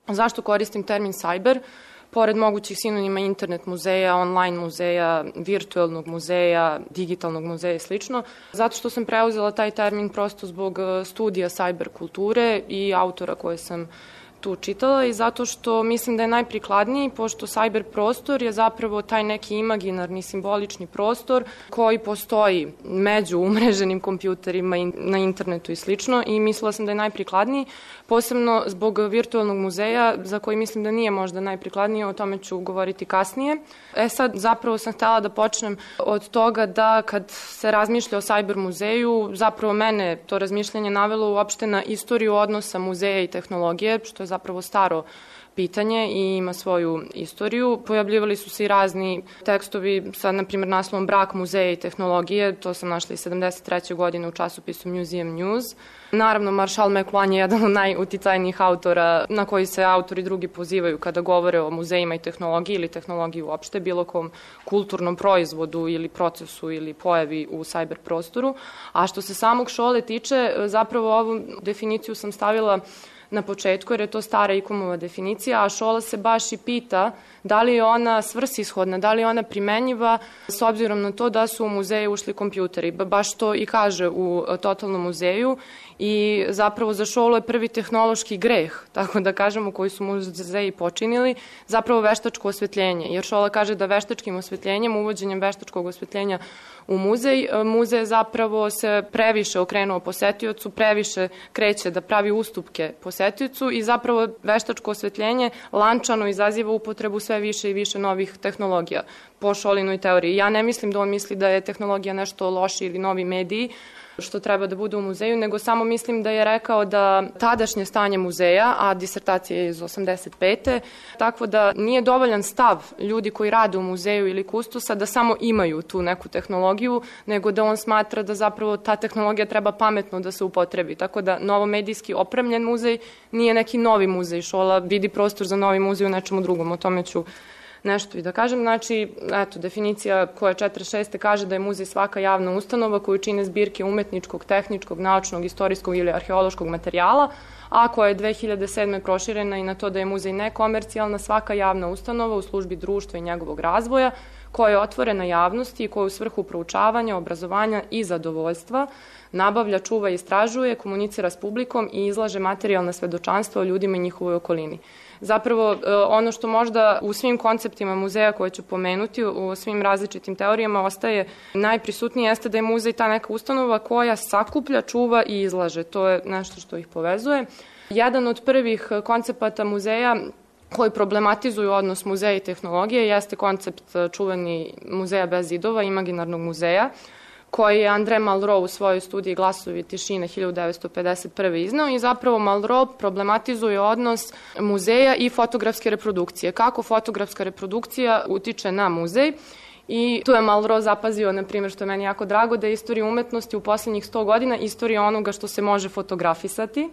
Zašto koristim termin cyber? Pored mogućih sinonima internet muzeja, online muzeja, virtualnog muzeja, digitalnog muzeja i slično, zato što sam preuzela taj termin prosto zbog studija cyber kulture i autora koje sam tu čitala i zato što mislim da je najprikladniji, pošto cyber prostor je zapravo taj neki imaginarni, simbolični prostor koji postoji među umreženim kompjuterima na internetu i slično i mislila sam da je najprikladniji, posebno zbog virtualnog muzeja za koji mislim da nije možda najprikladniji, o tome ću govoriti kasnije. Sad zapravo sam htela da počnem od toga da kad se razmišlja o cyber muzeju, zapravo mene to razmišljanje navelo uopšte na istoriju odnosa muzeja i tehnologije, što je zapravo staro pitanje i ima svoju istoriju. Pojavljivali su se i razni tekstovi sa, na primjer, naslovom Brak muzeja i tehnologije, to sam našla i 73. godine u časopisu Museum News. Naravno, Marshall McLuhan je jedan od najuticajnijih autora na koji se autori drugi pozivaju kada govore o muzejima i tehnologiji ili tehnologiji uopšte, bilo kom kulturnom proizvodu ili procesu ili pojavi u cyber prostoru. A što se samog Šole tiče, zapravo ovu definiciju sam stavila na početku, jer je to stara ICOM-ova definicija, a Šola se baš i pita da li je ona svrsishodna, da li je ona primenjiva s obzirom na to da su u muzeju ušli kompjuteri. Baš to i kaže u Totalnom muzeju i zapravo za Šolu je prvi tehnološki greh, tako da kažemo, koji su muzeji počinili, zapravo veštačko osvetljenje, jer Šola kaže da veštačkim osvetljenjem, uvođenjem veštačkog osvetljenja u muzej zapravo se previše okrenuo posetiocu, previše kreće da pravi ustupke posetiocu i zapravo veštačko osvetljenje lančano izaziva upotrebu sve više i više novih tehnologija po Šolinoj teoriji. Ja ne mislim da on misli da je tehnologija nešto loši ili novi mediji, što treba da bude u muzeju, nego samo mislim da je rekao da tadašnje stanje muzeja, a disertacija je iz 85. tako da nije dovoljan stav ljudi koji rade u muzeju ili kustosa da samo imaju tu neku tehnologiju, nego da on smatra da zapravo ta tehnologija treba pametno da se upotrebi. Tako da novomedijski opremljen muzej nije neki novi muzej. Šola vidi prostor za novi muzej u nečemu drugom, o tome ću nešto i da kažem. Znači, eto, definicija koja 46. kaže da je muzej svaka javna ustanova koju čine zbirke umetničkog, tehničkog, naučnog, istorijskog ili arheološkog materijala, a koja je 2007. proširena i na to da je muzej nekomercijalna svaka javna ustanova u službi društva i njegovog razvoja, koja je otvorena javnosti i koja u svrhu proučavanja, obrazovanja i zadovoljstva nabavlja, čuva i istražuje, komunicira s publikom i izlaže materijalna svedočanstva o ljudima i njihovoj okolini. Zapravo, ono što možda u svim konceptima muzeja koje ću pomenuti, u svim različitim teorijama ostaje najprisutnije jeste da je muzej ta neka ustanova koja sakuplja, čuva i izlaže. To je nešto što ih povezuje. Jedan od prvih koncepata muzeja koji problematizuju odnos muzeja i tehnologije jeste koncept čuveni muzeja bez zidova, imaginarnog muzeja, koji je André Malraux u svojoj studiji Glasovi tišine 1951. iznao i zapravo Malraux problematizuje odnos muzeja i fotografske reprodukcije. Kako fotografska reprodukcija utiče na muzej i tu je Malraux zapazio, na primjer, što je meni jako drago, da je istorija umetnosti u poslednjih 100 godina istorija onoga što se može fotografisati,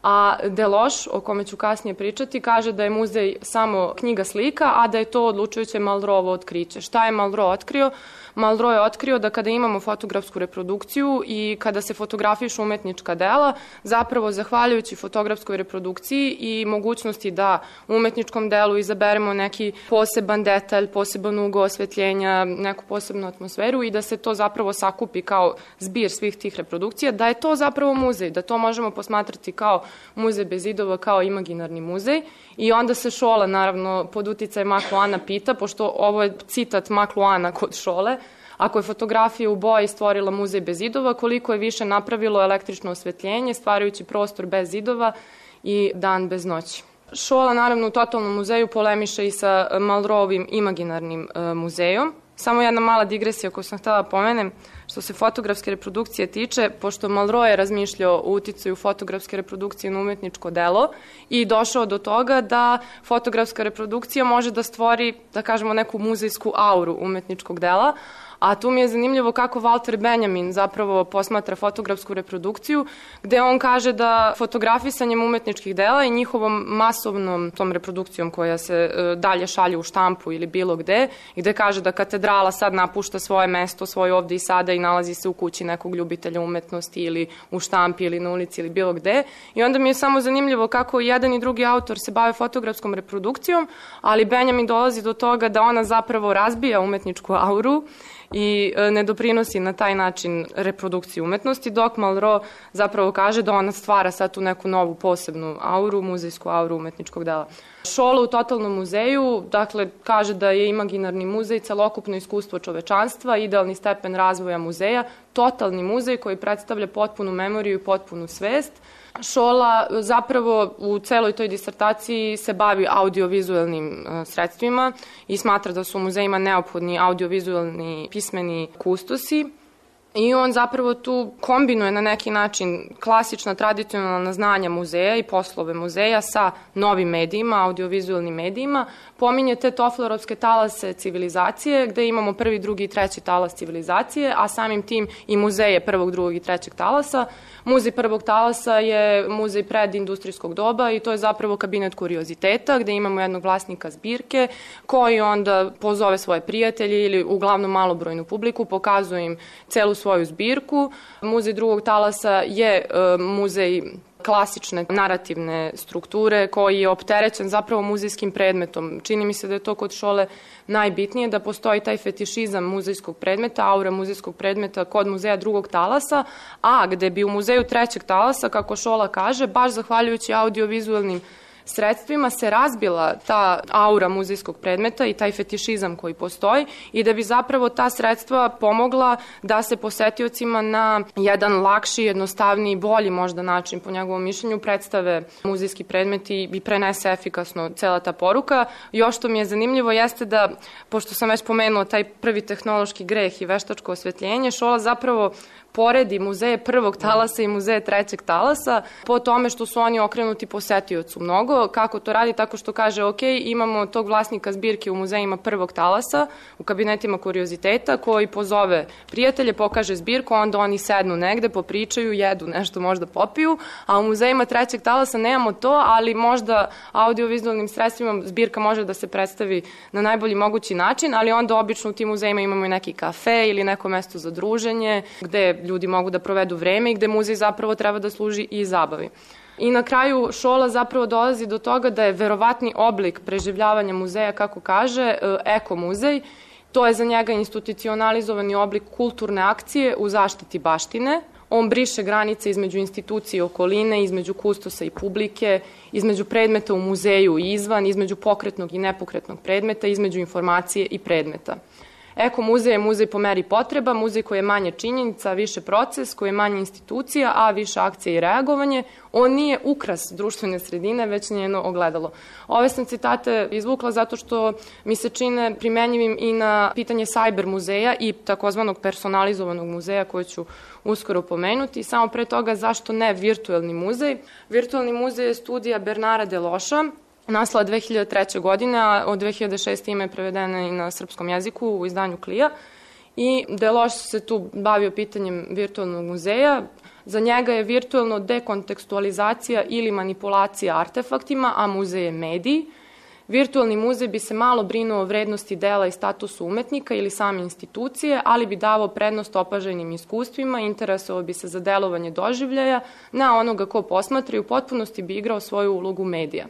a Deleuze, o kome ću kasnije pričati, kaže da je muzej samo knjiga slika, a da je to odlučujuće Malrauxovo otkriće. Šta je Malraux otkrio? Malraux je otkrio da kada imamo fotografsku reprodukciju i kada se fotografišu umetnička dela, zapravo zahvaljujući fotografskoj reprodukciji i mogućnosti da u umetničkom delu izaberemo neki poseban detalj, poseban ugao osvetljenja, neku posebnu atmosferu i da se to zapravo sakupi kao zbir svih tih reprodukcija, da je to zapravo muzej, da to možemo posmatrati kao muzej bez zidova, kao imaginarni muzej. I onda se Šola, naravno, pod uticajem McLuhana pita, pošto ovo je citat McLuhana kod Šole, ako je fotografija u boji stvorila muzej bez zidova, koliko je više napravilo električno osvetljenje, stvarajući prostor bez zidova i dan bez noći. Šola, naravno, u Totalnom muzeju polemiše i sa Malrauxovim imaginarnim muzejom. Samo jedna mala digresija koju sam htela pomenem, što se fotografske reprodukcije tiče, pošto Malraux je razmišljao o uticaju fotografske reprodukcije na umetničko delo i došao do toga da fotografska reprodukcija može da stvori, da kažemo, neku muzejsku auru umetničkog dela, A tu mi je zanimljivo kako Walter Benjamin zapravo posmatra fotografsku reprodukciju, gde on kaže da fotografisanjem umetničkih dela i njihovom masovnom tom reprodukcijom koja se dalje šalje u štampu ili bilo gde, gde kaže da katedrala sad napušta svoje mesto, svoje ovde i sada i nalazi se u kući nekog ljubitelja umetnosti ili u štampi ili na ulici ili bilo gde. I onda mi je samo zanimljivo kako jedan i drugi autor se bave fotografskom reprodukcijom, ali Benjamin dolazi do toga da ona zapravo razbija umetničku auru i ne doprinosi na taj način reprodukciju umetnosti, dok Malraux zapravo kaže da ona stvara sad tu neku novu posebnu auru, muzejsku auru umetničkog dela. Šola u totalnom muzeju, dakle, kaže da je imaginarni muzej celokupno iskustvo čovečanstva, idealni stepen razvoja muzeja, totalni muzej koji predstavlja potpunu memoriju i potpunu svest. Šola zapravo u celoj toj disertaciji se bavi audiovizualnim sredstvima i smatra da su u muzejima neophodni audiovizualni pismeni kustosi. I on zapravo tu kombinuje na neki način klasična tradicionalna znanja muzeja i poslove muzeja sa novim medijima, audiovizualnim medijima. Pominje te Tofflerovske talase civilizacije, gde imamo prvi, drugi i treći talas civilizacije, a samim tim i muzeje prvog, drugog i trećeg talasa. Muzej prvog talasa je muzej predindustrijskog doba i to je zapravo kabinet kurioziteta, gde imamo jednog vlasnika zbirke koji onda pozove svoje prijatelje ili uglavnom malobrojnu publiku, pokazuje im celu svoju zbirku. Muzej drugog talasa je muzej klasične narativne strukture koji je opterećen zapravo muzejskim predmetom. Čini mi se da je to kod Šole najbitnije, da postoji taj fetišizam muzejskog predmeta, aura muzejskog predmeta kod muzeja drugog talasa, a gde bi u muzeju trećeg talasa, kako Šola kaže, baš zahvaljujući audiovizualnim sredstvima se razbila ta aura muzejskog predmeta i taj fetišizam koji postoji i da bi zapravo ta sredstva pomogla da se posetiocima na jedan lakši, jednostavniji, bolji možda način, po njegovom mišljenju, predstave muzejski predmeti i prenese efikasno cela ta poruka. Još što mi je zanimljivo jeste da, pošto sam već pomenula taj prvi tehnološki greh i veštačko osvetljenje, Šola zapravo poredi muzeje prvog talasa i muzeje trećeg talasa po tome što su oni okrenuti posetiocu mnogo. Kako to radi? Tako što kaže, ok, imamo tog vlasnika zbirke u muzejima prvog talasa, u kabinetima kurioziteta, koji pozove prijatelje, pokaže zbirku, onda oni sednu negde, popričaju, jedu nešto, možda popiju, a u muzejima trećeg talasa nemamo to, ali možda audiovizualnim sredstvima zbirka može da se predstavi na najbolji mogući način, ali onda obično u tim muzejima imamo i neki kafe ili neko mesto za druženje, gde ljudi mogu da provedu vreme i gde muzej zapravo treba da služi i zabavi. I na kraju Šola zapravo dolazi do toga da je verovatni oblik preživljavanja muzeja, kako kaže, ekomuzej. To je za njega institucionalizovani oblik kulturne akcije u zaštiti baštine. On briše granice između institucije i okoline, između kustosa i publike, između predmeta u muzeju i izvan, između pokretnog i nepokretnog predmeta, između informacije i predmeta. Ekomuzej je muzej po meri potreba, muzej koji je manje činjenica, više proces, koji je manje institucija, a više akcije i reagovanje. On nije ukras društvene sredine, već njeno ogledalo. Ove sam citate izvukla zato što mi se čine primenjivim i na pitanje sajber muzeja i takozvanog personalizovanog muzeja koje ću uskoro pomenuti. Samo pre toga zašto ne virtuelni muzej. Virtuelni muzej je studija Bernara Deloša, nastala 2003. godine, a od 2006. ime je prevedena i na srpskom jeziku u izdanju Klija. I Deloš se tu bavio pitanjem virtualnog muzeja. Za njega je virtualno dekontekstualizacija ili manipulacija artefaktima, a muzej je medij. Virtualni muzej bi se malo brinuo o vrednosti dela i statusu umetnika ili same institucije, ali bi davao prednost opažajnim iskustvima, interesovao bi se za delovanje doživljaja na onoga ko posmatra i u potpunosti bi igrao svoju ulogu medija.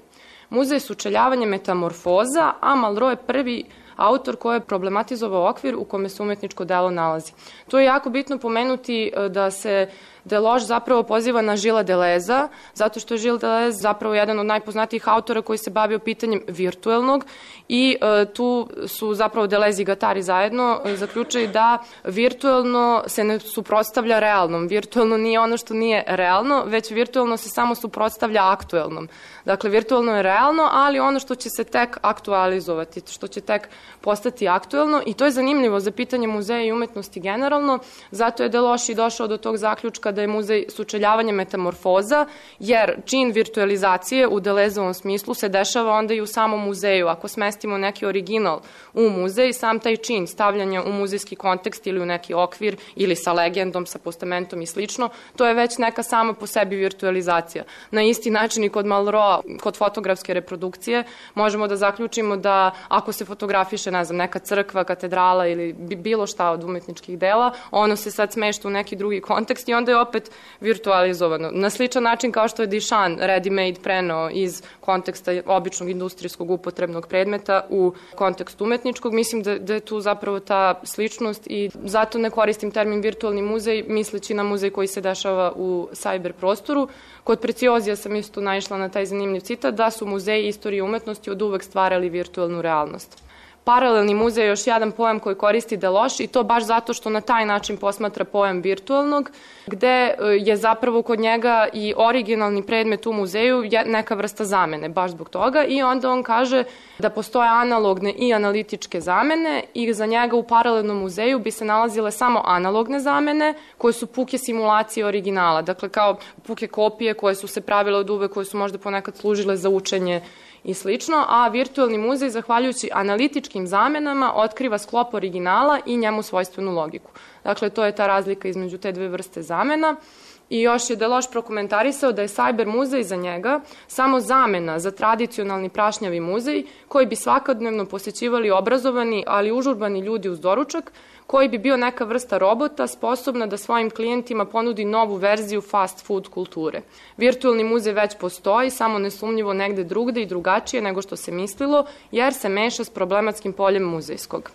Muzej je sučeljavanje metamorfoza, a Malraux je prvi autor koji je problematizovao okvir u kome se umetničko delo nalazi. Tu je jako bitno pomenuti da se Deloš zapravo poziva na Gilles Deleuze, zato što je Gilles Deleuze zapravo jedan od najpoznatijih autora koji se bavio pitanjem virtuelnog i tu su zapravo Deleuze i Guattari zajedno zaključili da virtuelno se ne suprotstavlja realnom. Virtuelno nije ono što nije realno, već virtuelno se samo suprotstavlja aktuelnom. Dakle, virtuelno je realno, ali ono što će se tek aktualizovati, što će tek postati aktuelno i to je zanimljivo za pitanje muzeja i umetnosti generalno, zato je Deloš i došao do tog zaključka da je muzej sučeljavanje metamorfoza, jer čin virtualizacije u Delezovom smislu se dešava onda i u samom muzeju. Ako smestimo neki original u muzej, sam taj čin stavljanja u muzejski kontekst ili u neki okvir ili sa legendom, sa postamentom i slično, to je već neka sama po sebi virtualizacija. Na isti način i kod Malroa, kod fotografske reprodukcije, možemo da zaključimo da ako se fotografiše, ne znam, neka crkva, katedrala ili bilo šta od umetničkih dela, ono se sad smešta u neki drugi kontekst i onda je opet virtualizovano. Na sličan način kao što je Duchamp ready-made preneo iz konteksta običnog industrijskog upotrebnog predmeta u kontekst umetničkog, mislim da je tu zapravo ta sličnost i zato ne koristim termin virtualni muzej, misleći na muzej koji se dešava u cyber prostoru. Kod Preciozija sam isto naišla na taj zanimljiv citat da su muzeji istorije umetnosti od uvek stvarali virtualnu realnost. Paralelni muzej je još jedan pojam koji koristi Deloš i to baš zato što na taj način posmatra pojam virtualnog, gde je zapravo kod njega i originalni predmet u muzeju neka vrsta zamene, baš zbog toga i onda on kaže da postoje analogne i analitičke zamene i za njega u paralelnom muzeju bi se nalazile samo analogne zamene koje su puke simulacije originala, dakle kao puke kopije koje su se pravile od uvek, koje su možda ponekad služile za učenje i slično, a virtualni muzej, zahvaljujući analitičkim zamenama, otkriva sklop originala i njemu svojstvenu logiku. Dakle, to je ta razlika između te dve vrste zamena. I još je Deloš prokomentarisao da je cyber muzej za njega samo zamena za tradicionalni prašnjavi muzej koji bi svakodnevno posećivali obrazovani, ali užurbani ljudi uz doručak, koji bi bio neka vrsta robota sposobna da svojim klijentima ponudi novu verziju fast food kulture. Virtualni muzej već postoji, samo nesumnjivo negde drugde i drugačije nego što se mislilo, jer se meša s problematskim poljem muzejskog.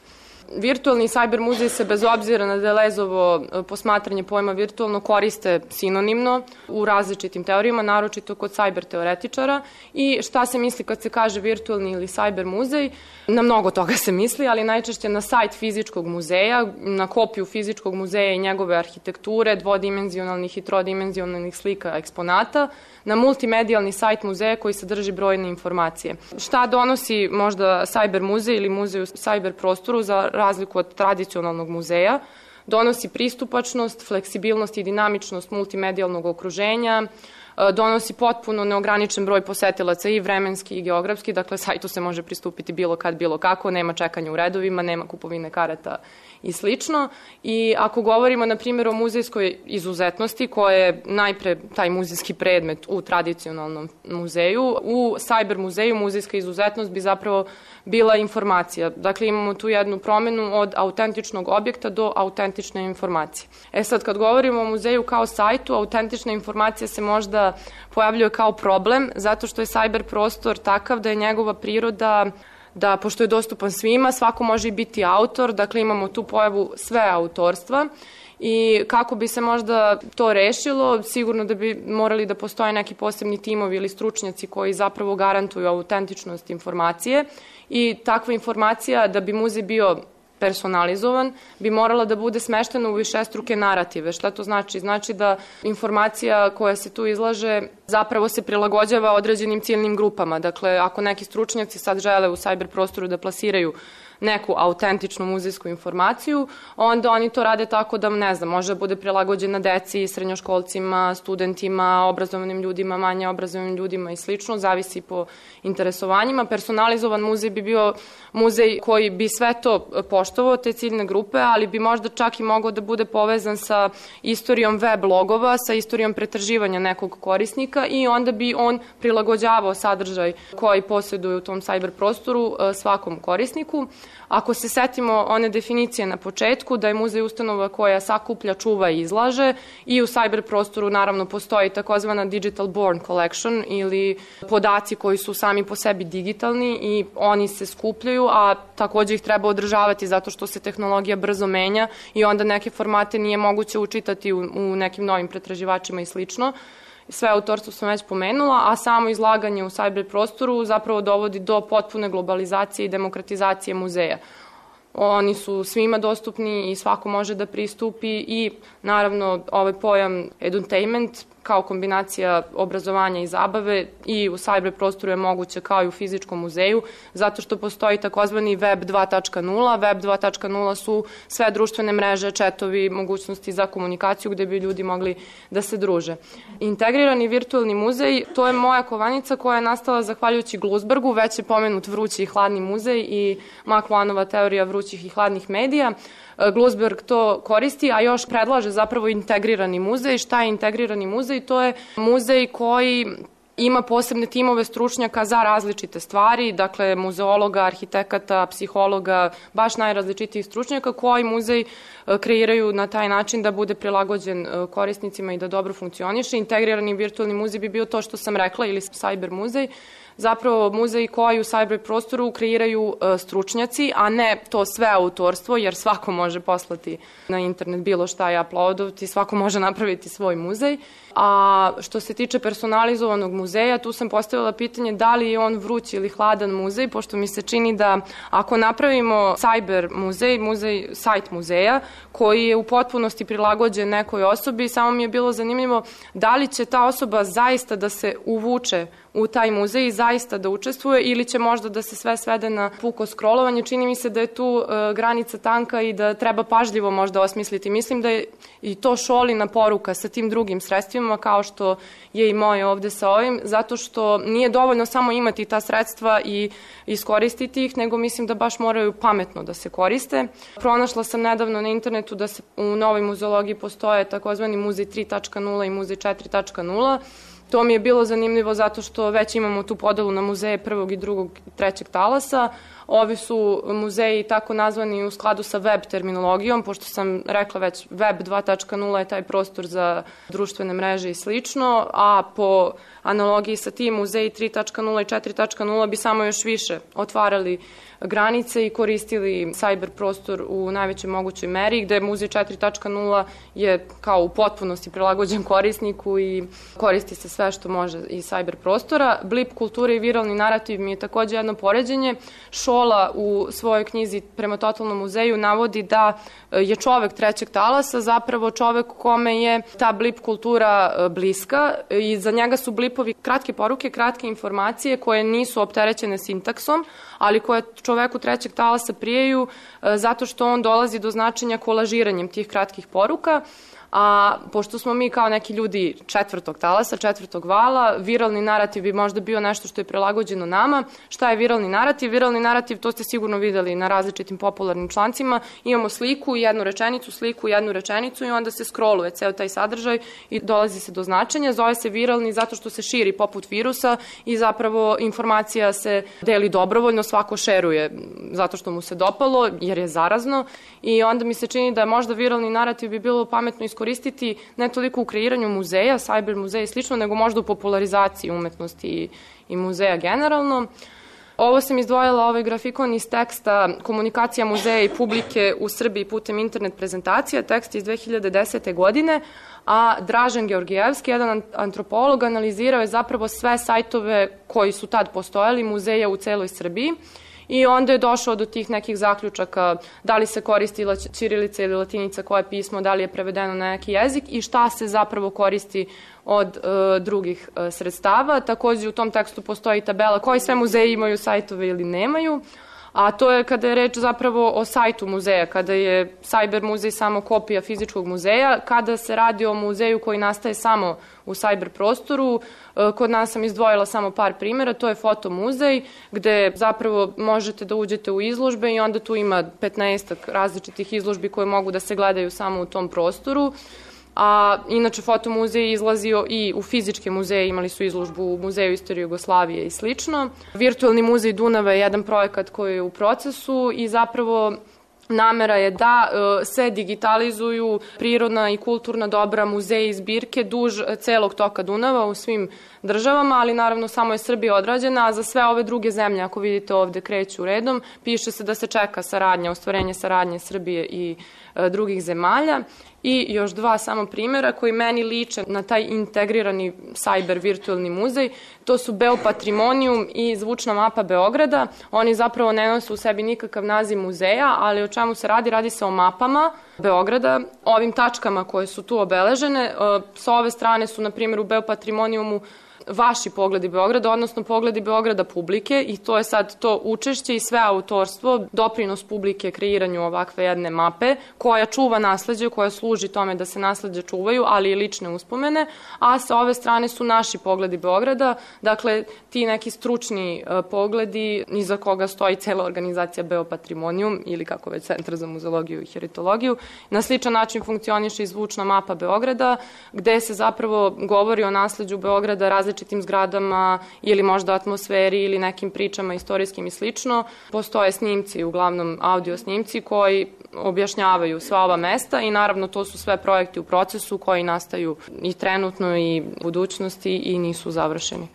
Virtualni cyber muzej se bez obzira na Delezovo posmatranje pojma virtualno koriste sinonimno u različitim teorijama, naročito kod cyber teoretičara i šta se misli kad se kaže virtualni ili cyber muzej, na mnogo toga se misli, ali najčešće na sajt fizičkog muzeja, na kopiju fizičkog muzeja i njegove arhitekture, dvodimenzionalnih i trodimenzionalnih slika eksponata, na multimedijalni sajt muzeja koji sadrži brojne informacije. Šta donosi možda cyber muzej ili muzej u cyber prostoru za razliku od tradicionalnog muzeja? Donosi pristupačnost, fleksibilnost i dinamičnost multimedijalnog okruženja, donosi potpuno neograničen broj posetilaca i vremenski i geografski, dakle sajtu se može pristupiti bilo kad, bilo kako, nema čekanja u redovima, nema kupovine karata i slično. I ako govorimo, na primjer, o muzejskoj izuzetnosti, koja je najpre taj muzejski predmet u tradicionalnom muzeju, u cyber muzeju muzejska izuzetnost bi zapravo bila informacija. Dakle, imamo tu jednu promenu od autentičnog objekta do autentične informacije. Sad, kad govorimo o muzeju kao sajtu, autentična informacija se možda pojavljuje kao problem, zato što je cyber prostor takav da je njegova priroda da, pošto je dostupan svima, svako može i biti autor, dakle imamo tu pojavu sve autorstva i kako bi se možda to rešilo, sigurno da bi morali da postoje neki posebni timovi ili stručnjaci koji zapravo garantuju autentičnost informacije i takva informacija da bi muzej bio personalizovan, bi morala da bude smeštena u višestruke narative. Šta to znači? Znači da informacija koja se tu izlaže zapravo se prilagođava određenim ciljnim grupama. Dakle, ako neki stručnjaci sad žele u cyber prostoru da plasiraju neku autentičnu muzejsku informaciju, onda oni to rade tako da, ne znam, može da bude prilagođena deci, srednjoškolcima, studentima, obrazovanim ljudima, manje obrazovanim ljudima i slično, zavisi po interesovanjima. Personalizovan muzej bi bio muzej koji bi sve to poštovao, te ciljne grupe, ali bi možda čak i mogao da bude povezan sa istorijom web logova, sa istorijom pretraživanja nekog korisnika i onda bi on prilagođavao sadržaj koji posjeduje u tom cyber prostoru svakom korisniku. Ako se setimo one definicije na početku, da je muzej ustanova koja sakuplja, čuva i izlaže i u cyber prostoru naravno postoji takozvana digital born collection ili podaci koji su sami po sebi digitalni i oni se skupljaju, a takođe ih treba održavati zato što se tehnologija brzo menja i onda neke formate nije moguće učitati u nekim novim pretraživačima i slično. Sve autorstvo sam već pomenula, a samo izlaganje u cyber prostoru zapravo dovodi do potpune globalizacije i demokratizacije muzeja. Oni su svima dostupni i svako može da pristupi i naravno ovaj pojam edutainment kao kombinacija obrazovanja i zabave i u cyber prostoru je moguće kao i u fizičkom muzeju, zato što postoji takozvani Web 2.0. Web 2.0 su sve društvene mreže, četovi, mogućnosti za komunikaciju gde bi ljudi mogli da se druže. Integrirani virtualni muzej, to je moja kovanica koja je nastala zahvaljujući Glusbergu, već je pomenut vrući i hladni muzej i McLuhanova teorija vrućih i hladnih medija. Glusberg to koristi, a još predlaže zapravo integrirani muzej. Šta je integrirani muzej? To je muzej koji ima posebne timove stručnjaka za različite stvari, dakle muzeologa, arhitekata, psihologa, baš najrazličitijih stručnjaka koji muzej kreiraju na taj način da bude prilagođen korisnicima i da dobro funkcioniše. Integrirani virtualni muzej bi bio to što sam rekla ili cyber muzej, zapravo muzej koji u cyber prostoru kreiraju stručnjaci, a ne to sve autorstvo, jer svako može poslati na internet bilo šta i uploadovati, svako može napraviti svoj muzej. A što se tiče personalizovanog muzeja, tu sam postavila pitanje da li je on vruć ili hladan muzej, pošto mi se čini da ako napravimo cyber muzej, sajt muzeja, koji je u potpunosti prilagođen nekoj osobi, samo mi je bilo zanimljivo da li će ta osoba zaista da se uvuče u taj muzej i zaista da učestvuje ili će možda da se sve svede na puko scrollovanje. Čini mi se da je tu granica tanka i da treba pažljivo možda osmisliti. Mislim da je i to Šolina poruka sa tim drugim sredstvima, kao što je i moje ovde sa ovim, zato što nije dovoljno samo imati ta sredstva i iskoristiti ih, nego mislim da baš moraju pametno da se koriste. Pronašla sam nedavno na internetu da se u novoj muzeologiji postoje takozvani muzej 3.0 i muzej 4.0. To mi je bilo zanimljivo zato što već imamo tu podelu na muzeje prvog i drugog i trećeg talasa. Ovi su muzeji tako nazvani u skladu sa web terminologijom, pošto sam rekla već Web 2.0 je taj prostor za društvene mreže i slično, a po analogiji sa tim muzeji 3.0 i 4.0 bi samo još više otvarali granice i koristili cyber prostor u najvećoj mogućoj meri, gde muzej 4.0 je kao u potpunosti prilagođen korisniku i koristi se sve što može iz cyber prostora. Blip kultura i viralni narativ mi je takođe jedno poređenje. Šola u svojoj knjizi Prema totalnom muzeju navodi da je čovek trećeg talasa zapravo čovek kome je ta blip kultura bliska i za njega su blipovi kratke poruke, kratke informacije koje nisu opterećene sintaksom, ali koje čoveku trećeg talasa prijeju zato što on dolazi do značenja kolažiranjem tih kratkih poruka. A pošto smo mi kao neki ljudi četvrtog talasa, četvrtog vala, viralni narativ bi možda bio nešto što je prilagođeno nama. Šta je viralni narativ? Viralni narativ, to ste sigurno videli na različitim popularnim člancima. Imamo sliku i jednu rečenicu i onda se scrolluje ceo taj sadržaj i dolazi se do značenja. Zove se viralni zato što se širi poput virusa i zapravo informacija se deli dobrovoljno, svako šeruje zato što mu se dopalo jer je zarazno i onda mi se čini da možda viralni narativ bi bilo pametno iskoristiti ne toliko u kreiranju muzeja, cyber muzeja i slično, nego možda u popularizaciji umetnosti i muzeja generalno. Ovo sam izdvojila, ovaj grafikon iz teksta Komunikacija muzeja i publike u Srbiji putem internet prezentacija, tekst iz 2010. godine, a Dražen Georgijevski, jedan antropolog, analizirao je zapravo sve sajtove koji su tad postojali, muzeja u celoj Srbiji, i onda je došao do tih nekih zaključaka da li se koristi ćirilica ili latinica, koje pismo, da li je prevedeno na neki jezik i šta se zapravo koristi od drugih sredstava. Takođe u tom tekstu postoji tabela koji sve muzeji imaju sajtove ili nemaju, a to je kada je reč zapravo o sajtu muzeja, kada je cyber muzej samo kopija fizičkog muzeja, kada se radi o muzeju koji nastaje samo u cyber prostoru. Kod nas sam izdvojila samo par primjera, to je fotomuzej gde zapravo možete da uđete u izložbe i onda tu ima 15 različitih izložbi koje mogu da se gledaju samo u tom prostoru. A inače fotomuzej je izlazio i u fizičke muzeje, imali su izložbu u Muzeju istorije Jugoslavije i slično. Virtualni muzej Dunava je jedan projekat koji je u procesu i zapravo namera je da se digitalizuju prirodna i kulturna dobra, muzeji i zbirke duž celog toka Dunava u svim državama, ali naravno samo je Srbija odrađena, a za sve ove druge zemlje, ako vidite ovde kreću redom, piše se da se čeka saradnja, ostvarenje saradnje Srbije i drugih zemalja. I još dva samo primjera koji meni liče na taj integrirani cyber virtualni muzej. To su Beopatrimonium i Zvučna mapa Beograda. Oni zapravo ne nose u sebi nikakav naziv muzeja, ali o čemu se radi? Radi se o mapama Beograda, ovim tačkama koje su tu obeležene. Sa ove strane su, na primjer, u Beopatrimoniumu vaši pogledi Beograda, odnosno pogledi Beograda publike, i to je sad to učešće i sve autorstvo, doprinos publike kreiranju ovakve jedne mape koja čuva nasleđe, koja služi tome da se nasleđe čuvaju, ali i lične uspomene, a sa ove strane su naši pogledi Beograda, dakle ti neki stručni pogledi iza koga stoji cela organizacija Beopatrimonium ili kako već Centar za muzeologiju i heritologiju. Na sličan način funkcioniše i Zvučna mapa Beograda, gde se zapravo govori o nasleđu Beograda, različitim zgradama ili možda atmosferi ili nekim pričama istorijskim i slično. Postoje snimci, uglavnom audio snimci koji objašnjavaju sva ova mesta i naravno to su sve projekti u procesu koji nastaju i trenutno i u budućnosti i nisu završeni.